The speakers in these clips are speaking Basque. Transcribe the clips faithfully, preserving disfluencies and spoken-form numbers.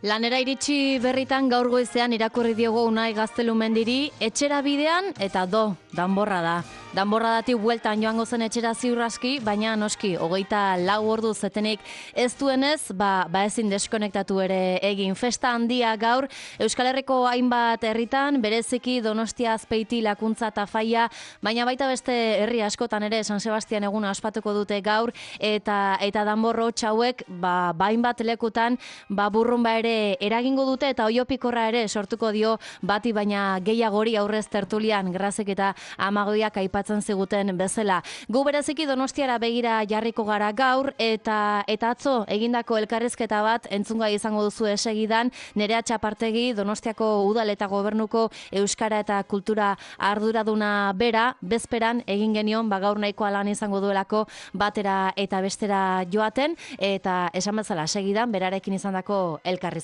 Lanera iritsi berritan gaur goizean irakurri diogu Unai Gaztelumendiri, etxera bidean eta do, danborra da. Danborradatik bueltan joango zen etxera ziur aski, baina noski, hogeita lau ordu zetenik ez duenez, ba, ba ezin deskonektatu ere egin. Festa handia gaur, Euskal Herriko hainbat herritan, bereziki Donostia, Azpeiti, Lakuntza eta Faia, baina baita beste herri askotan ere San Sebastian eguna ospatuko dute gaur, eta eta danborro txauek, ba, ba hainbat lekutan, ba burrunba ere eragingo dute eta oiopikorra ere sortuko dio bati baina gehiagori aurrez tertulian Grazek eta Amagodiak aipatzen ziguten bezala. Gu bereziki Donostiara begira jarriko gara gaur eta eta atzo egindako elkarrizketa bat entzungai izango duzu esegidan Nerea Txapartegi Donostiako Udal eta Gobernuko Euskara eta Kultura arduraduna bera bezperan egin genion ba gaur nahikoa lan izango duelako batera eta bestera joaten eta esan bezala segidan berarekin izandako elkarrizketa.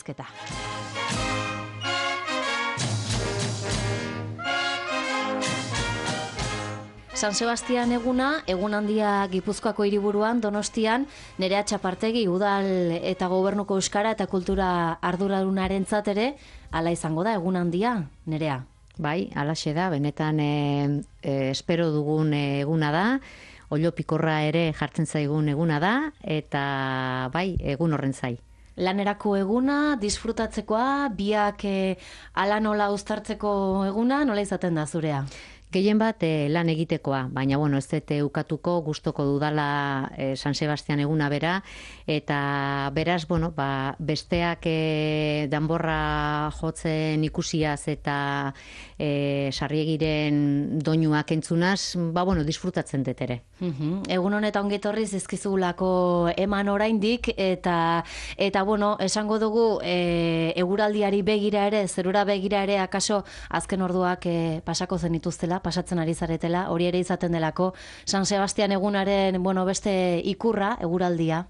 San Sebastian eguna, egun handia Gipuzkoako hiriburuan, Donostian, Nerea Txapartegi Udal eta Gobernuko Euskara eta Kultura arduradunarentzat ere, hala izango da egun handia, Nerea? Bai, halaxe da, benetan e, e, espero dugun eguna da, oilopikorra ere jartzen zaigun eguna da, eta bai, egun horren zai. Lanerako eguna, disfrutatzekoa, biak e, ala nola uztartzeko eguna, nola izaten da zurea? Gehien bat e, lan egitekoa, baina bueno, ez dut ukatuko, gustoko dudala e, San Sebastian eguna bera, eta beraz, bueno, ba, besteak e, danborra jotzen ikusiaz eta e, sarriegiren doinuak entzunaz, ba, bueno, disfrutatzen dut ere. Uhum. Egun honetan ongetorri zizkizulako eman oraindik, eta, eta bueno, esango dugu e, eguraldiari begira ere, zerura begira ere, akaso azken orduak e, pasako zenituztela, pasatzen ari zaretela, hori ere izaten delako San Sebastian egunaren, bueno, beste ikurra, eguraldia.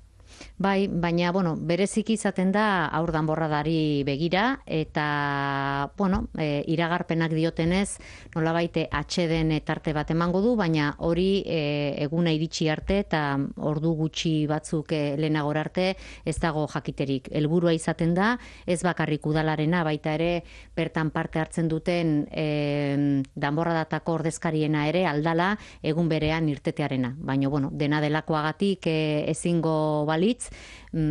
Bai, baina, bueno, bereziki izaten da aur danborradari begira, eta, bueno, e, iragarpenak diotenez, nolabait atxeden tarte bat emango du, baina hori e, eguna iritsi arte, eta ordu gutxi batzuk e, lehenagor arte, ez dago jakiterik. Helburua izaten da, ez bakarrik udalarena, baita ere, bertan parte hartzen duten e, danborradatako ordezkariena ere, aldala, egun berean irtetearena. Baina, bueno, dena delakoagatik e, ezingo bali,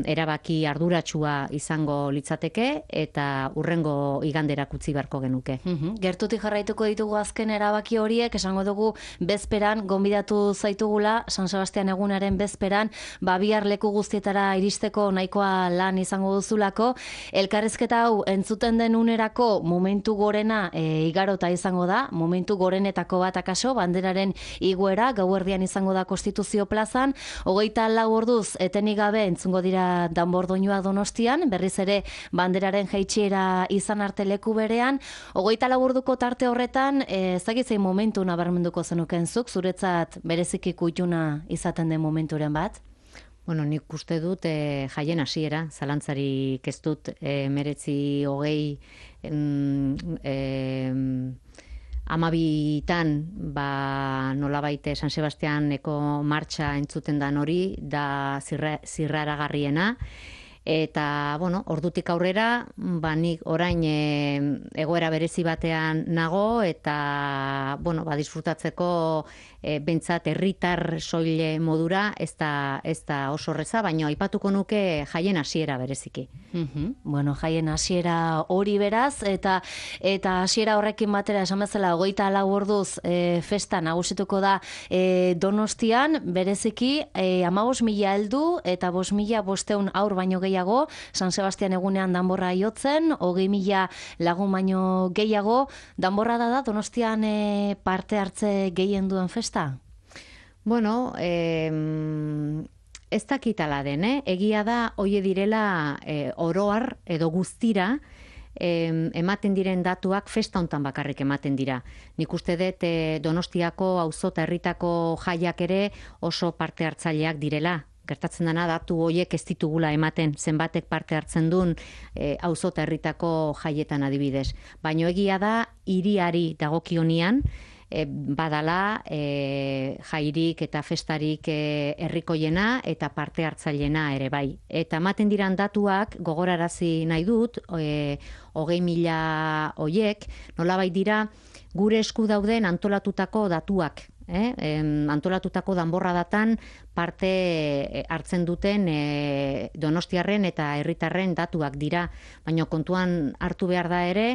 erabaki arduratsua izango litzateke eta urrengo iganderak utzi beharko genuke. Uhum. Gertutik jarraituko ditugu azken erabaki horiek, esango dugu bezperan, gonbidatu zaitugula, San Sebastian egunaren bezperan, ba bihar leku guztietara iristeko nahikoa lan izango duzulako. Elkarrizketa hau entzuten den unerako momentu gorena e, igarota izango da, momentu gorenetako bat akaso, banderaren igoera, gauerdian izango da Konstituzio plazan, hogeita lau orduz etenik gabe entzungo dira danbordoinua Donostian, berriz ere banderaren jaitsiera izan arte leku berean, hogeita lau orduko tarte horretan, ez dakitzein momentu nabarmenduko zenuken zuk, zuretzat bereziki kutxuna izaten den momenturen bat? Bueno, nik uste dut e, jaien hasiera, zalantzarik ez dut e, meretzi hogei e, amabitan, ba, nolabait San Sebastianeko martxa entzuten dan hori, da zirra, zirraragarriena, eta, bueno, ordutik aurrera, ba, nik orain e, egoera berezi batean nago, eta, bueno, ba, disfrutatzeko e, bentsat herritar soile modura, ez da, ez da oso horreza, baina aipatuko nuke jaien hasiera bereziki. Uhum. Bueno, jaien hasiera hori beraz, eta eta hasiera horrekin batera esan bezala hogeita lau orduz e, festa nagusituko da e, Donostian, bereziki e, hamabost mila heldu eta bost mila bosteun aur baino gehiago, San Sebastian egunean danborra jotzen, hogei mila lagun baino gehiago, danborra da da Donostian e, parte hartze gehien duen festa? Bueno, eh, ez dakitala den, eh? Egia da, hoie direla eh, oroar edo guztira eh, ematen diren datuak festa hontan bakarrik ematen dira. Nik uste dut eh, Donostiako auzo eta herritako jaiak ere oso parte hartzaileak direla. Gertatzen dena datu horiek ez ditugula ematen, zenbatek parte hartzen duen e, auzo eta herritako jaietan adibidez. Baina egia da, hiriari dagokionian, e, badala e, jairik eta festarik e, herrikoiena eta parte hartzailena ere bai. Eta ematen diran datuak gogorarazi nahi dut, e, hogei mila hoiek, nolabait dira gure esku dauden antolatutako datuak. Eh? Em, antolatutako danborradatan parte hartzen duten e, donostiarren eta herritarren datuak dira, baina kontuan hartu behar da ere,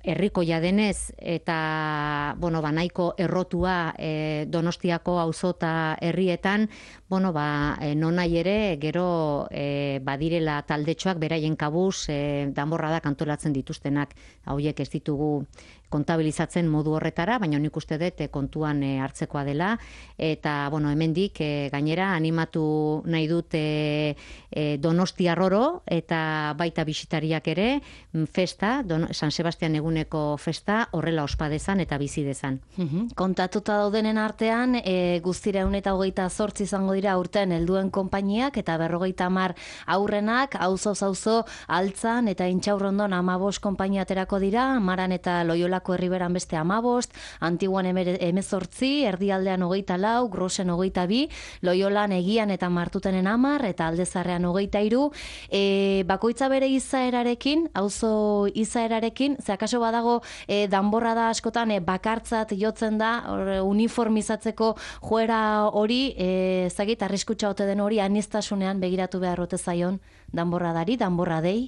herrikoia denez eta bueno, ba, nahiko errotua e, Donostiako auzo eta herrietan, bueno, ba, e, nonai ere gero e, badirela taldetxoak beraien kabuz e, danborradak antolatzen dituztenak. Hauiek ez ditugu kontabilizatzen modu horretara, baina nik uste dut kontuan e, hartzekoa dela, eta bueno, hemendik e, gainera animatu nahi dut e, e, Donostiarroro eta baita bisitariak ere festa, Don, San Sebastian eguneko festa horrela ospa dezan eta bizi dezan. Uhum. Kontatuta daudenen artean, e, guztira ehun eta hogeita zortzi izango dira urten helduen konpainiak eta berrogeita hamar aurrenak, auzoz auzo Altzan eta Intxaurrondon hamabost konpainia aterako dira, Maran eta Loiolako Herriberan beste hamabost, Antiguan hemezortzi, Erdialdean hogeita lau, Grosen hogeita bi, Loiolan Egian eta Martutenen hamar eta Aldezarrean hogeita hiru, e, bakoitza bere izaerarekin, auzo izaerarekin, ze akaso badago e, danborrada askotan e, bakartzat jotzen da, or, uniformizatzeko joera hori, e, zagit, arriskutsa ote den hori, aniztasunean begiratu behar ote zaion danborradari, danborradei?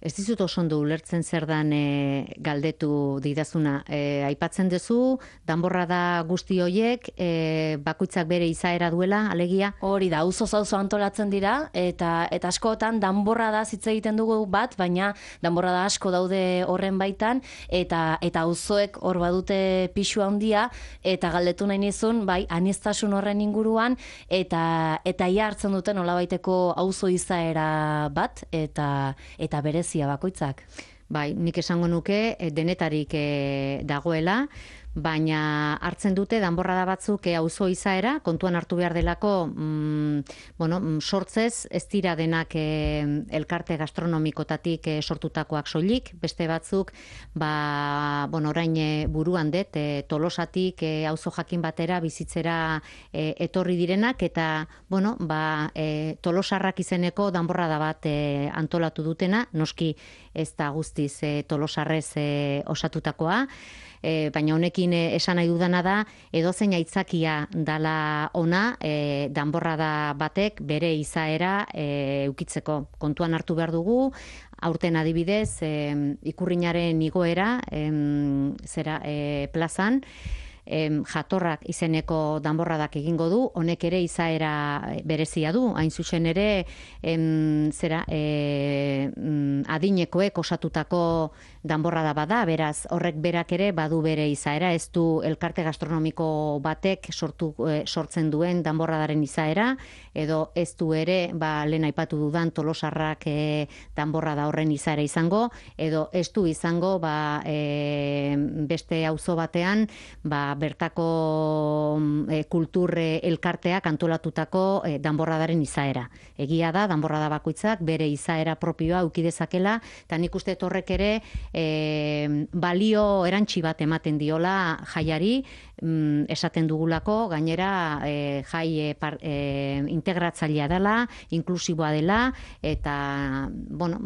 Ez dizut oso ondo ulertzen zer dan e, galdetu didazuna. E, aipatzen duzu, danborrada guzti hoiek, e, bakoitzak bere izaera duela, alegia? Hori da, auzoz auzo antolatzen dira, eta eta askotan danborrada hitz egiten dugu bat, baina danborrada asko daude horren baitan, eta eta auzoek hor badute pisu handia, eta galdetu nahi nizun, bai, aniztasun horren inguruan, eta eta ia hartzen duten nolabaiteko auzo izaera bat, eta eta berez bakoitzak. Bai, nik esango nuke denetarik e, dagoela, baina hartzen dute danborrada batzuk e, auzo izaera, kontuan hartu behar delako, mm, bueno, sortzez ez dira denak e, elkarte gastronomikotatik e, sortutakoak soilik, beste batzuk, ba, bueno, orain e, buruan dut, e, Tolosatik e, auzo jakin batera bizitzera e, etorri direnak, eta, bueno, ba, e, Tolosarrak izeneko danborrada bat e, antolatu dutena, noski ez da guztiz e, Tolosarrez e, osatutakoa, E, baina honekin esan nahi dudana da, edozein aitzakia dala ona, e, danborrada batek bere izaera e, eukitzeko. Kontuan hartu behar dugu, aurten adibidez, e, ikurrinaren igoera, e, zera e, plazan, Em, jatorrak izeneko danborradak egingo du, honek ere izaera berezia du, hain zuzen ere em, zera e, adinekoek osatutako danborrada bada, beraz horrek berak ere badu bere izaera, ez du elkarte gastronomiko batek sortu, e, sortzen duen danborradaren izaera, edo ez du ere, ba, lehen aipatu dudan Tolosarrak e, danborrada horren izaera izango, edo ez du izango ba, e, beste auzo batean, ba, bertako e, kultur e, elkarteak antolatutako e, danborradaren izaera. Egia da, danborrada bakoitzak bere izaera propioa eduki dezakela, eta nik uste horrek ere e, balio erantsi bat ematen diola jaiari, mm, esaten dugulako, gainera e, jai e, par, e, integratzailea dela, inklusiboa dela, eta, bueno,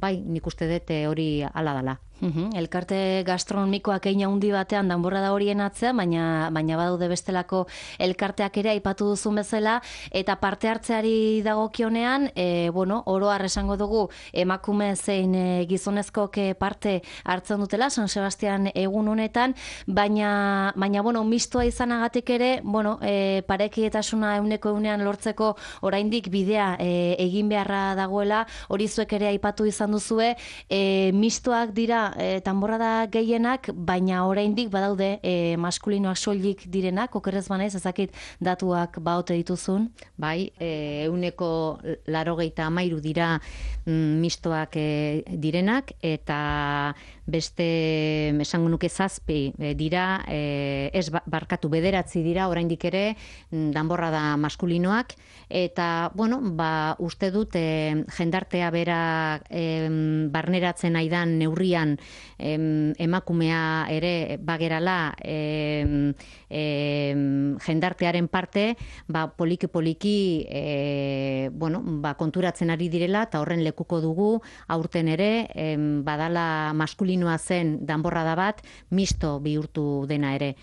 bai, nik uste dut hori hala dela. Uhum, elkarte gastronomikoak egin handi batean danborrada horien atzean, baina baina badaude bestelako elkarteak ere aipatu duzun bezala, eta parte hartzeari dagokionean, e, bueno, oro har esango dugu emakume zein e, gizonezkoek parte hartzen dutela San Sebastian egun honetan, baina baina bueno, mistoa izanagatik ere, bueno, e, parekietasuna ehuneko ehunean lortzeko oraindik bidea e, egin beharra dagoela, hori zuek ere aipatu izan duzue, e, mistoak dira E, danborrada gehienak, baina oraindik badaude e, maskulinoak soilik direnak, okerrez banaiz, ezakit datuak baote dituzun? Bai, e, euneko larogeita amairu dira mm, mistoak e, direnak, eta beste esango nuke zazpi e, dira, e, ez barkatu bederatzi dira oraindik ere danborra da maskulinoak, eta bueno, ba, uste dut e, jendartea bera e, barneratzen aidan neurrian e, emakumea ere bagerala e, e, jendartearen parte, ba, poliki-poliki e, bueno, ba, konturatzen ari direla, eta horren lekuko dugu aurten ere, e, badala maskulinoa zen danborrada bat, misto bihurtu dena ere.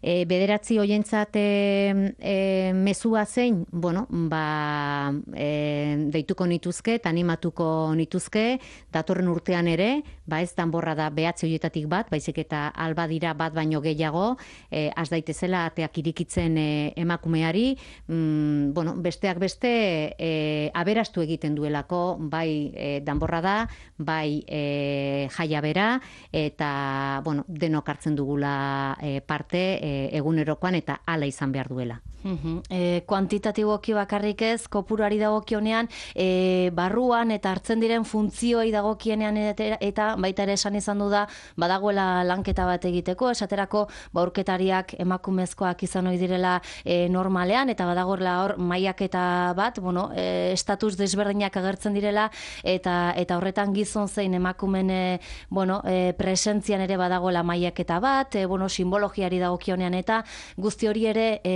E, bederatzi hoientzat e, e, mezua zein, bueno, ba, e, deituko nituzke, eta animatuko nituzke, datorren urtean ere, ba ez danborra da behatzi hoietatik bat, baizik eta alba dira bat baino gehiago, e, az daitezela ateak irikitzen e, emakumeari, mm, bueno, besteak beste e, aberastu egiten duelako, bai e, danborra da, bai e, jaia bera, eta bueno, denok hartzen dugula e, parte, e, egunerokoan eta hala izan behar duela. Uhum. E, kuantitatiboki bakarrik ez, kopuruari dagokionean, e, barruan eta hartzen diren funtzioei dagokienean eta, eta baita ere esan izan du da, badagoela lanketa bat egiteko, esaterako baurketariak emakumezkoak izan ohi direla e, normalean, eta badagoela hor mailaketa bat, bueno, e, estatus desberdinak agertzen direla, eta eta horretan gizon zein emakumen e, bueno, e, presentzian ere badagoela mailaketa bat, e, bueno, simbologiari dagokionean, eta guzti hori ere e,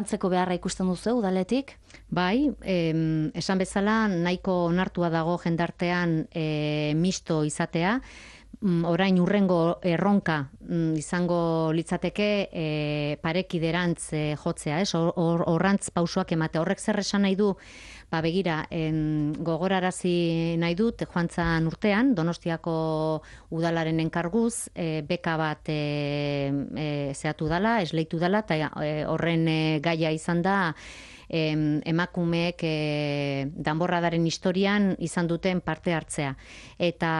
lantzeko beharra ikusten duzu udaletik? Bai, em, esan bezala nahiko onartua dago jendartean e, misto izatea, orain urrengo erronka izango litzateke e, parekiderantz e, jotzea, ez? Horrantz or, pausoak emate. Horrek zer esan nahi du? Ba begira, en, gogorarazi nahi dut, joantzan urtean, Donostiako udalaren enkarguz, e, beka bat e, e, zehatu dala, esleitu dala, eta e, horren e, gaia izan da, emakumeek e, danborradaren historian izan duten parte hartzea. Eta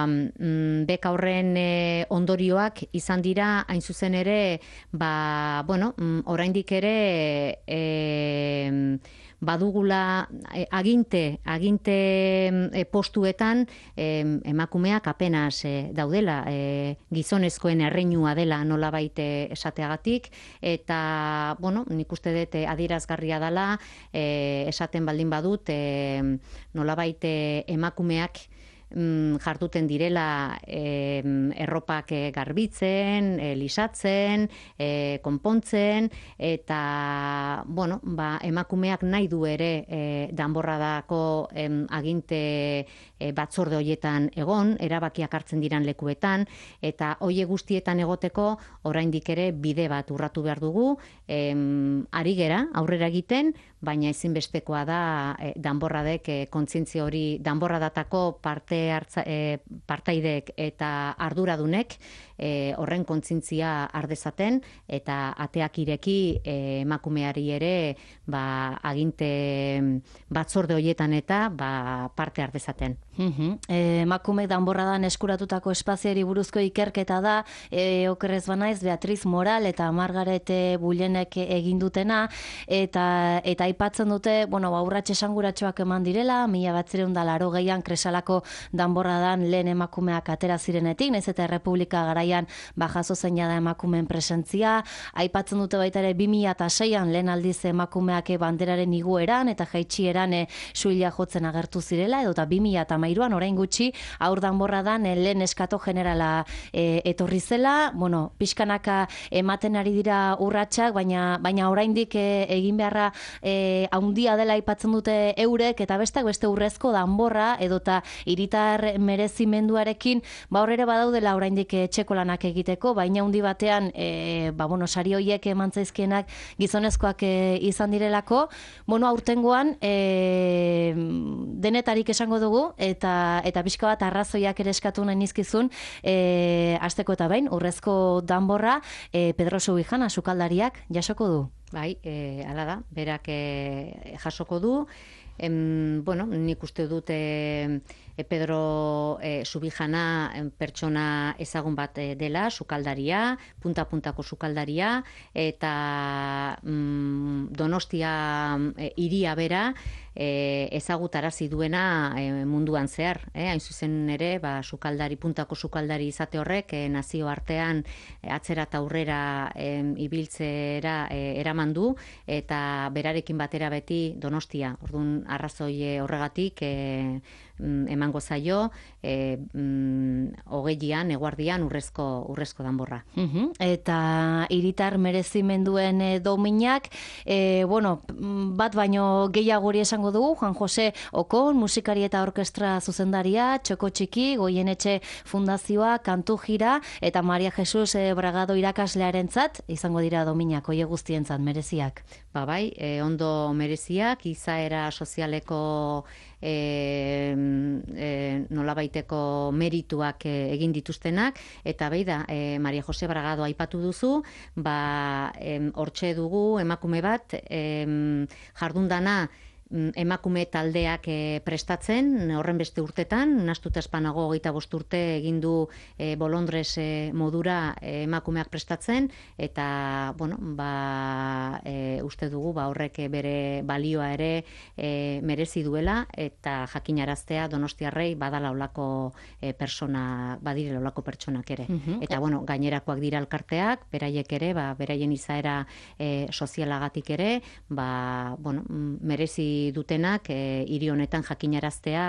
mm, beka horren e, ondorioak izan dira, hain zuzen ere, ba, bueno, mm, oraindik ere e, badugula e, aginte, aginte e, postuetan e, emakumeak apenas e, daudela, e, gizonezkoen erreinua dela nolabait esateagatik, eta, bueno, nik uste dut adierazgarria dela, e, esaten baldin badut, e, nolabait emakumeak jarduten direla e, erropak garbitzen, e, lisatzen, e, konpontzen, eta bueno, ba, emakumeak nahi du ere e, danborradako em, aginte e, batzorde hoietan egon, erabakiak hartzen diran lekuetan, eta hoie guztietan egoteko oraindik ere bide bat urratu behar dugu, em, ari gera aurrera egiten, baina ezinbestekoa da e, danborradek e, kontzientzia hori, danborradatako parte hartza, e, partaideek eta arduradunek e, horren kontzientzia ardezaten, eta ateak ireki e, emakumeari ere ba, aginte batzorde hoietan eta ba, parte ardezaten. Uhum. E, emakume danborradan eskuratutako espazioari buruzko ikerketa da, e, okerrez banaiz, Beatriz Moral eta Margaret Bullenek egin dutena, eta eta aipatzen dute, bueno, ba, urrats esanguratsuak eman direla, mila batziehun eta laurogeian Kresalako danborradan lehen emakumeak atera zirenetik, nahiz eta Errepublika garaian ba, jaso zeina da emakumeen presentzia, aipatzen dute baita ere bi mila seian lehen aldiz emakumeak banderaren igoeran eta jaitsieran e, suila jotzen agertu zirela, edo eta bi mila hamairuan orain gutxi aur danborradan e, lehen eskato generala e, etorri zela, bueno, pixkanaka ematen ari dira urratsak, baina baina oraindik e, egin beharra e, haundia dela aipatzen dute eurek, eta bestak beste urrezko danborra edota hiritar merezimenduarekin, ba hor ere badaudela oraindik etxeko lanak egiteko, baina handi batean e, ba bueno, sari hoiek eman zaizkienak gizonezkoak e, izan direlako, bueno, aurtengoan e, denetarik esango dugu, eta eta pixka bat arrazoiak ere eskatu nahi nizkizun, e, asteko eta behin urrezko danborra e, Pedro Subijana sukaldariak jasoko du. Bai, e, hala da, berak e, jasoko du. Em, bueno, nik uste dut e, Pedro e, Subijana pertsona ezagun bat dela, sukaldaria, punta-puntako sukaldaria, eta mm, Donostia e, iria bera e, ezagutarazi duena e, munduan zehar. Eh? Hain zuzen ere, ba, sukaldari, puntako sukaldari izate horrek, e, nazio artean e, atzera eta aurrera e, ibiltzera e, eraman du, eta berarekin batera beti Donostia. Orduan, arrazoi horregatik e, emango zaio e, mm, hogeian, eguardian urrezko, urrezko danborra. Uhum. Eta hiritar merezimenduen e, dominak, e, bueno, bat baino gehiagori esango dugu, Juan Jose Okon, musikari eta orkestra zuzendaria, Txoko Txiki, Goienetxe Fundazioa, Kantu Jira, eta Maria Jesus e, Bragado irakaslearentzat izango dira dominak, oie guztientzat mereziak. Ba bai, e, ondo mereziak, izaera sozialeko E, e, nolabaiteko merituak e, egin dituztenak, eta behi da, e, Maria Jose Bragado aipatu duzu, ba, hortxe dugu emakume bat, e, jardundana emakume taldeak e, prestatzen, horren beste urtetan, nastuta espanago hogeita bost urte egin du e, Bolondres e, modura e, emakumeak prestatzen, eta, bueno, ba, e, uste dugu, ba, horrek bere balioa ere e, merezi duela, eta jakinaraztea Donostiarrei badala olako e, persona, badire olako pertsonak ere. Uh-huh. Eta, bueno, gainerakoak dira elkarteak, beraiek ere, ba, beraien izaera e, sozialagatik ere, ba, bueno, merezi dutenak e, hiri honetan jakinaraztea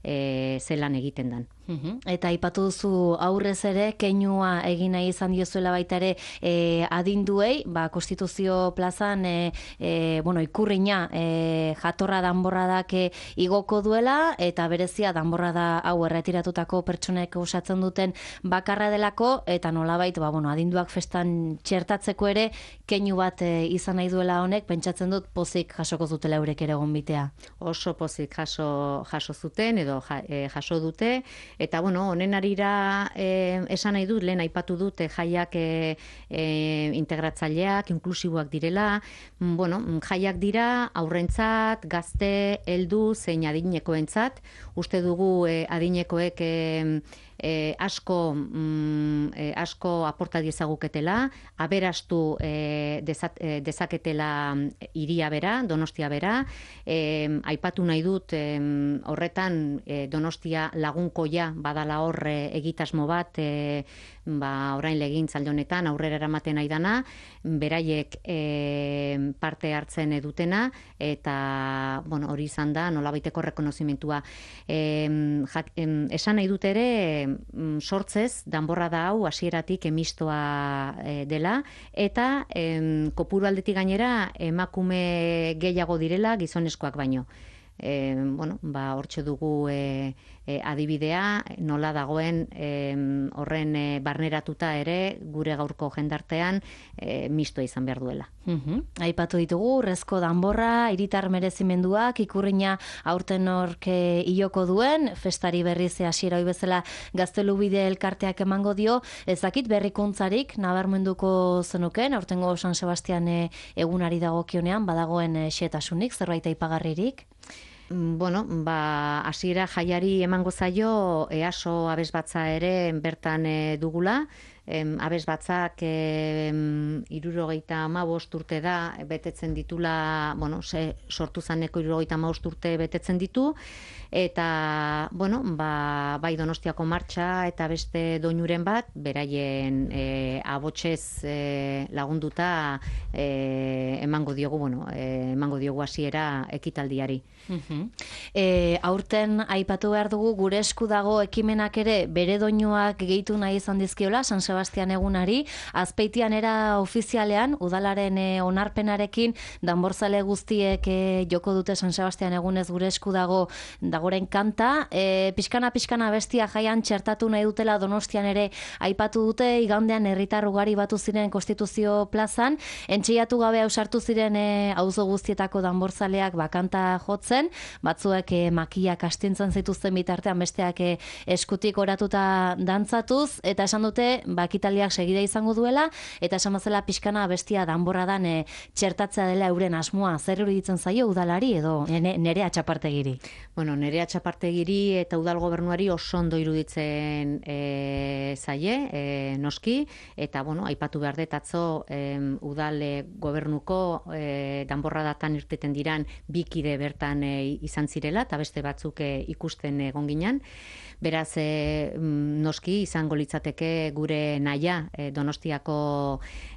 e, zelan egiten dan. Uhum. Eta aipatu duzu aurrez ere, keinua egin nahi izan diozuela baita ere e, adinduei, ba, Konstituzio plazan e, e, bueno, ikurriña e, jatorra danborradak e, igoko duela, eta berezia danborrada hau erretiratutako pertsonek osatzen duten bakarra delako, eta nolabait, ba, bueno, adinduak festan txertatzeko ere, keinu bat e, izan nahi duela honek, pentsatzen dut pozik jasoko zutela eurek ere gonbitea. Oso pozik jaso, jaso zuten, edo ja, e, jaso dute, eta, bueno, honen arira eh, esan nahi dut, lehen aipatu dute jaiak eh, eh, integratzaileak, inklusiboak direla, bueno, jaiak dira aurrentzat, gazte, heldu, zein adinekoentzat, uste dugu eh, adinekoek eh, E, asko mm, e, asko aporta diezaguketela, aberastu e, dezat, e, dezaketela hiria bera, Donostia bera, e, aipatu nahi dut e, horretan e, Donostia lagunkoia badala hor e, egitasmo bat, e, ba, orain legintzaldi honetan aurrera eramaten nahi dana, beraiek e, parte hartzen dutena, eta, bueno, hori izan da nolabaiteko rekonozimentua. E, jak, em, esan nahi dut ere, sortzez, danborra da hau hasieratik emistoa e, dela, eta em, kopuru aldetik gainera emakume gehiago direla gizonezkoak baino. E, bueno, ba, hortxe dugu e, e, adibidea, nola dagoen e, horren e, barneratuta ere gure gaurko jendartean e, mistoa izan behar duela. Uhum. Aipatu ditugu, urrezko danborra, hiritar merezimenduak, ikurriña aurten orke iloko duen, festari berriz hasiera hoi bezala Gaztelubide elkarteak emango dio, ezakit berrikuntzarik nabarmenduko zenuken, aurtengo San Sebastian e, egunari dagokionean, badagoen e, xetasunik, zerbait aipagarririk? Bueno, ba, hasiera jaiari emango zaio EASO abesbatza ere bertan e, dugula, em, abesbatzak em, irurogeita hamabost urte da betetzen ditula, bueno, se, sortu zaneko irurogeita hamabost urte betetzen ditu, eta, bueno, ba, bai Donostiako martxa eta beste doinuren bat, beraien e, abotsez e, lagunduta e, emango diogu, bueno, e, emango diogu hasiera ekitaldiari. Uh-huh. E, aurten aipatu behar dugu gure esku dago ekimenak ere bere doinuak gehitu nahi izan dizkiola San Sebastian egunari, Azpeitian era ofizialean udalaren e, onarpenarekin danborzale guztiek e, joko dute San Sebastian egunez gure esku dago dagoren kanta, e, pixkana pixkana bestia jaian txertatu nahi dutela Donostian ere aipatu dute, igandean herritar ugari batu ziren Konstituzio plazan, entxeiatu gabe ausartu ziren e, auzo guztietako danborzaleak bakanta jotzen, batzuek e, makiak astintzen zituzten bitartean, besteak e, eskutik oratuta dantzatuz, eta esan dute, ba, akitaliak segida izango duela, eta esan bezala pixkana bestia danborradan e, txertatzea dela euren asmoa. Zer iruditzen zaio udalari edo Nerea Txapartegiri? Bueno, Nerea Txapartegiri eta udal gobernuari oso ondo iruditzen e, zaie, e, noski, eta bueno, aipatu behar dut atzo e, udal e, gobernuko e, danborradatan irteten diran bikide bertan e, izan zirela, eta beste batzuk e, ikusten egon ginen. Beraz, e, noski izango litzateke gure naia e, Donostiako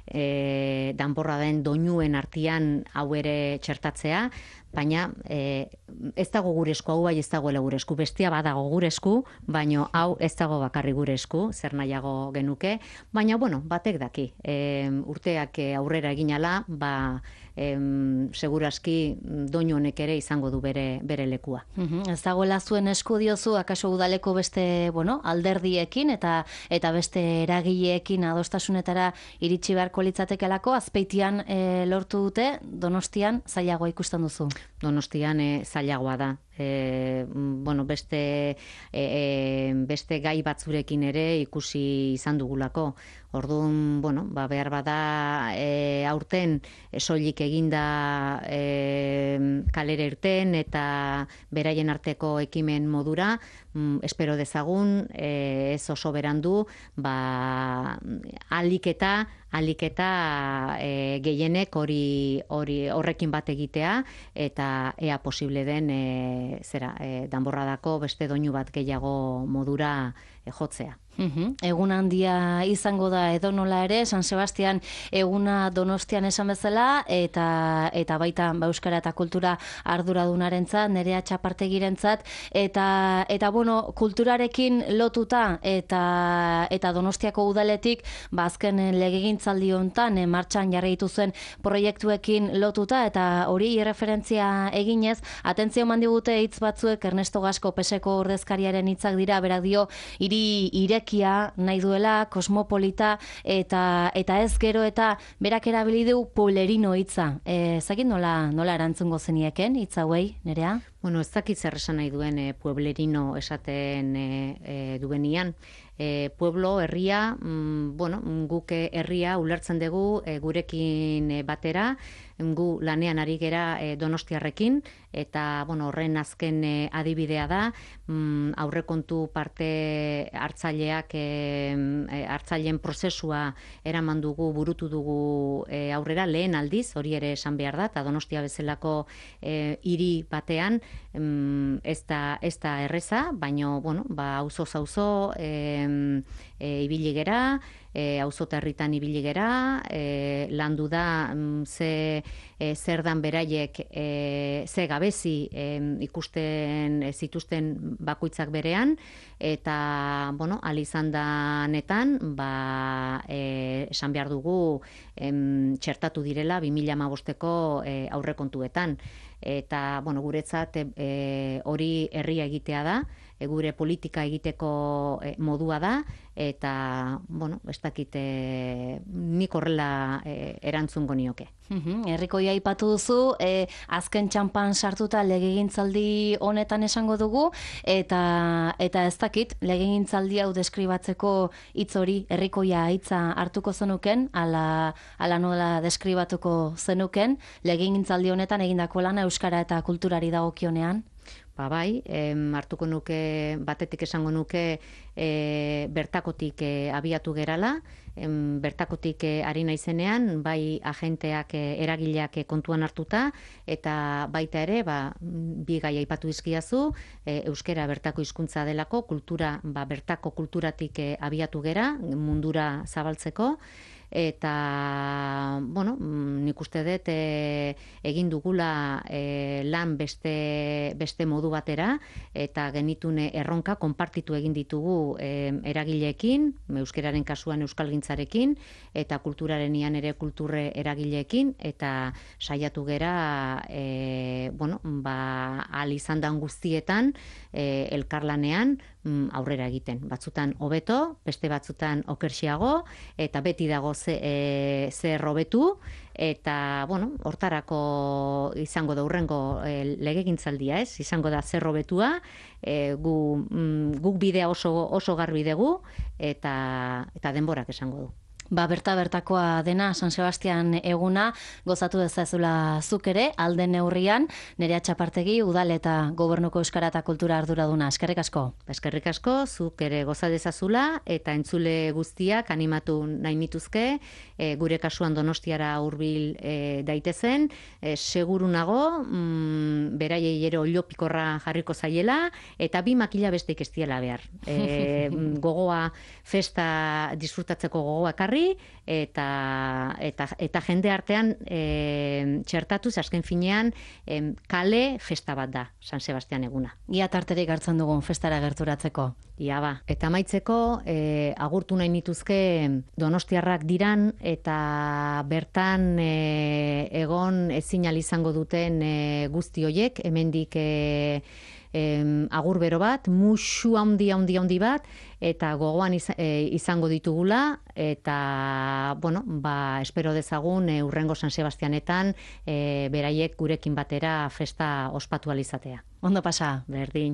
e, danborraden doinuen artean hau ere txertatzea, baina e, ez dago gure esku, hau bai ez dagoela gure esku, bestia badago gure esku, baina hau ez dago bakarri gure esku, zer nahiago genuke, baina bueno, batek daki, e, urteak aurrera eginala, ba, em, seguraski doinu honek ere izango du bere, bere lekua. Uhum, ez dagoela zuen esku diozu, akaso udaleko beste, bueno, alderdiekin eta eta beste eragileekin adostasunetara iritsi beharko litzatekelako, Azpeitian e, lortu dute, Donostian zailagoa ikusten duzu. Donostian e, zailagoa da. E, bueno, beste, e, beste gai batzurekin ere ikusi izan dugulako. Orduan, bueno, ba, behar bada e, aurten e, soilik eginda e, kalera irten eta beraien arteko ekimen modura, mm, espero dezagun, e, ez oso berandu, ba, alik eta alik eta e, gehienek hori hori horrekin bat egitea eta ea posible den e, zera e, danborradako beste doinu bat gehiago modura e, jotzea. Uhum. Egun handia izango da edonola ere, San Sebastian eguna Donostian esan bezala, eta eta baita ba, euskara eta kultura arduradunarentzat, Nerea Txapartegirentzat, eta eta bueno, kulturarekin lotuta eta eta Donostiako udaletik, ba azken legegintzaldi hontan e, martxan jarri dituzuen proiektuekin lotuta eta hori referentzia eginez, atentzio eman digute hitz batzuek Ernesto Gasco Peseko ordezkariaren hitzak dira, berak dio hiri ireki nahi duela, kosmopolita, eta eta ez gero eta berak erabili du pueblerino hitza. E, Zagin nola, nola erantzungo zenieken hitz hauei, Nerea? Bueno, ez dakit zer esan nahi duen e, pueblerino esaten e, e, duenian. E, pueblo, herria, mm, bueno, guk herria ulertzen dugu e, gurekin e, batera, gu lanean ari gera e, Donostiarrekin, eta bueno, horren azken e, adibidea da, mm, aurrekontu parte hartzaileak e, e, hartzaileen prozesua eraman dugu, burutu dugu e, aurrera lehen aldiz, hori ere esan behar da, eta Donostia bezalako e, hiri batean, mm, ez da, ez da erreza, baina bueno, ba, auzoz auzo e, e, ibili gera, e, auzo herritan ibili gera, e, landu da mm, ze e, zer dan beraiek e, ze gabezi e, ikusten e, zituzten bakoitzak berean, eta bueno, al izan danetan, ba, e, esan behar dugu em, txertatu direla bi mila hamabosteko e, aurrekontuetan. Eta bueno, guretzat e, hori herria egitea da, e, gure politika egiteko e, modua da, eta bueno, ez dakit e, nik horrela e, erantzungo nioke. Uhum, herrikoia aipatu duzu, e, azken txanpan sartuta legegintzaldi honetan esango dugu, eta eta ez dakit legegintzaldi hau deskribatzeko hitz hori herrikoia hitza hartuko zenuken, ala, ala nola deskribatuko zenuken legegintzaldi honetan egindako lana euskara eta kulturari dagokionean? Ba bai, em, hartuko nuke, batetik esango nuke e, bertakotik e, abiatu gerala, em, bertakotik e, ari naizenean, bai agenteak, e, eragileak e, kontuan hartuta, eta baita ere, ba, bi gai aipatu dizkidazu, e, euskera bertako hizkuntza delako, kultura, ba, bertako kulturatik e, abiatu gera, mundura zabaltzeko, eta bueno, nik uste dut e, egin dugula e, lan beste, beste modu batera, eta genitune erronka konpartitu egin ditugu e, eragileekin, euskeraren kasuan euskalgintzarekin, eta kulturaren ian ere kulturre eragileekin, eta saiatu gera e, bueno, ba, al izan dan guztietan e, elkarlanean, mm, aurrera egiten. Batzutan hobeto, beste batzutan okerxiago, eta beti dago ze, e, zer hobetu, eta, bueno, hortarako izango da hurrengo e, legegintzaldia, ez? Izango da zer hobetua, e, gu, mm, guk bidea oso, oso garbi dugu, eta, eta denborak esango du. Ba, berta bertakoa dena San Sebastian eguna, gozatu dezazula zuk ere, alde neurrian, Nerea Txapartegi, udal eta gobernuko euskara eta kultura arduraduna. Eskerrik asko. Eskerrik asko, zuk ere goza dezazula, eta entzule guztiak animatu nahi nituzke, e, gure kasuan Donostiara hurbil e, daitezen, e, seguru nago, mm, beraiei ere oliopikorra jarriko zaiela, eta bi makila besteik ez diela behar. E, gogoa, festa disfrutatzeko gogoa karri, eta, eta, eta jende artean e, txertatuz, azken finean, e, kale festa bat da, San Sebastian eguna. Ia tarterik hartzen dugun festara gerturatzeko. Ia ba. Eta amaitzeko, e, agurtu nahi nituzke donostiarrak diran, eta bertan e, egon ezin ahal izango duten e, guzti hoiek, hemendik e, Em, agur bero bat, musu handi handi handi bat, eta gogoan iz, e, izango ditugula, eta, bueno, ba, espero dezagun e, urrengo San Sebastianetan e, beraiek gurekin batera festa ospatu alizatea. Ondo pasa. Berdin.